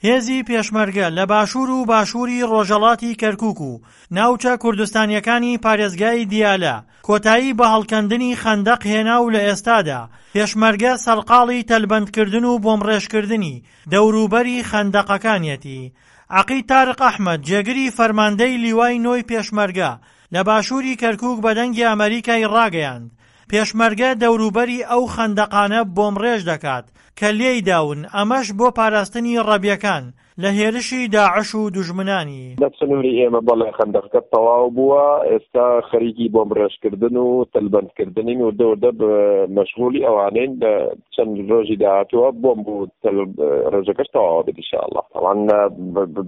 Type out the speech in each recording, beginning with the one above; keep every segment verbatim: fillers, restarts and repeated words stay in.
هێزی پێشمەرگە لە باشوور و باشووری ڕۆژهەڵاتی کەرکوک و ناوچە کوردستانیەکانی پارێزگای دیالە کۆتایی بە هەڵکەندنی خەندەق هێنا و لە ئێستادا پێشمەرگە سەرقاڵی تەلبەندکردن و بۆمڕێژکردنی دەوروبەری خەندەقەکانیەتی. عەقید تارق ئەحمەد جێگری فەرماندەی لیوای نۆی پێشمەرگە لە باشووری کەرکوک بە دەنگی ئەمەریکای ڕاگەیاند پێشمەرگە دەوروبەری ئەو خەندەقانە بۆمڕێژ دەکات کە لێی داون، ئەمەش بۆ پاراستنی ڕەبیەکان لە هێرشی داعش و دوژمنانی. لە سنووری ئێمە بەڵێ خەندەقەکە تەواو بووە، ئێستا خەریکی بۆمبڕێژکردن و تەلبەندکردنین، وردە وردە مەشغوڵی ئەوانەین، لە چەند ڕۆژی داهاتووە بۆمب و تەل ڕێژەکەش تەواوە بێت ئینشاءاللە. تەوان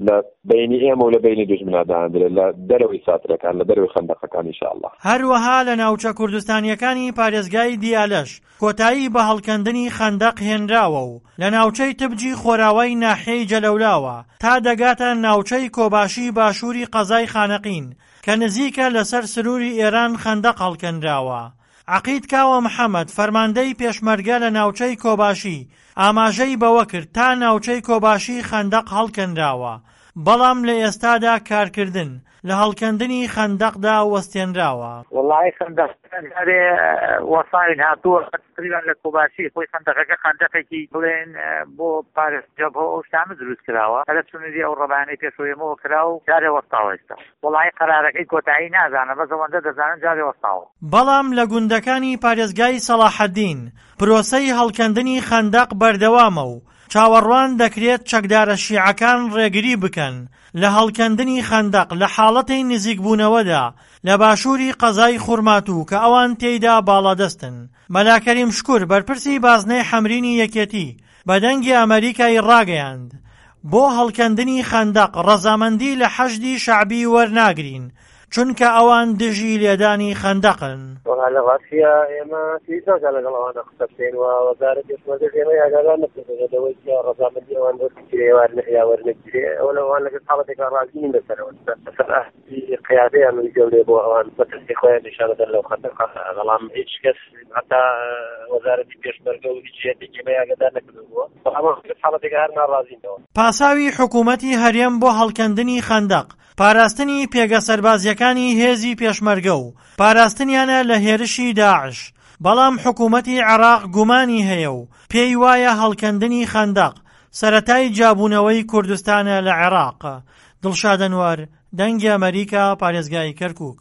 لە بەینی ئێمە و لە بەینی دوژمنا دانرێت لە دەرەوەی ساترەکان، لە دەرەوەی خەندەقەکان ئینشاءاللە. هەروەها لە ناوچە کوردستانییەکانی پارێزگای دیالەش کۆتایی بە هەڵکەندنی خەندەق هێنراوە و لە ناوچەی تبجی خۆراوای ناحیەی جەلەولاوە تا دەگاتە ناوچەی کۆباشی باشووری قەزای خانەقین کە نزیکە لەسەر سنووری ئێران خەندەق هەڵکەنراوە. عەقید کاوە محەمەد فەرماندەی پێشمەرگە لە ناوچەی کۆباشی ئاماژەی بەوەکرد تا ناوچەی کۆباشی خەندەق هەڵکەنراوە بەڵام لە ئێستادا کارکردن لە هەڵکەندنی خەندەقدا وەستێنراوە. وەڵایی خەندەقەکە جارێ وەساوین هاتووە تقریبا لە کۆباشی خۆی خەندەقەکە خەندەقێکی بڵێن بۆ پارێز جەبهە ئەو شتانە دروست کراوە هەرە سنووری ئەو ڕەبانەی پێشەوە ئێمەوە کرا و جارێ وەستاوە ئێستا وەڵایی قەرارەکەی کۆتایی نازانم بەس ئەوەندە دەزانم جارێ وەستاوە. بەڵام لە گوندەکانی پارێزگای سەڵاحەدین پرۆسەی هەڵکەندنی خەندەق بەردەوامە و چاوەڕوان دەکرێت چەکدارە شیعەکان ڕێگری بکەن لە هەڵکەندنی خەندەق لە حاڵەتی نزیکبوونەوەدا لە باشووری قەزای خورماتوو کە ئەوان تێیدا باڵادەستن. مەلا کەریم شکور بەرپرسی بازنەی حەمرینی یەکێتی بە دەنگی ئەمەریکای ڕاگەیاند بۆ هەڵکەندنی خەندەق ڕەزامەندی لە حەشدی شەعبی وەرناگرین چونکە ئەوان دژی لێدانی خەندەقن. وەڵا لە ڕاستیا ئێمە پێویست ناکات لەگەڵ ئەوانە قسە بکەین و وەزارەتی پێشمەرگەش ئێمەی ئاگادار نەکردووە لەوەی کە ڕەزامەندی ئەوان وەربگیرێ یا وەرنەگیرێ. ئەوە لە ئەوان لەگەڵ حاڵەتێکا ڕازی نین لەسەرەوە لەسەر ئاستی قیادەیان و گەورەیە بۆ ئەوان مەترسی خۆیان نیشان دەدەن لەو خەندەقە. بەڵام هیچ کەس هەتا وەزارەتی پێشمەرگە و هیچ جهتێکی ئێمەی ئاگادار نەکردووە. بەڵام ئەوان لەگەڵ حاڵەتێکا هەر ناڕازین لەوە. پاساوی حکوومەتی هەرێم بۆ هەڵکەندنی خەندەق پاراستنی پێگە سەربازیەکانی هێزی پێشمەرگە و پاراستنیانە لە هێرشی داعش، بەڵام حکوومەتی عێراق گومانی هەیە و پێی وایە هەڵکەندنی خەندەق سەرەتای جیابوونەوەی کوردستانە لە عێراق. دڵشاد ئەنوەر، دەنگی ئەمەریکا، پارێزگای کەرکوک.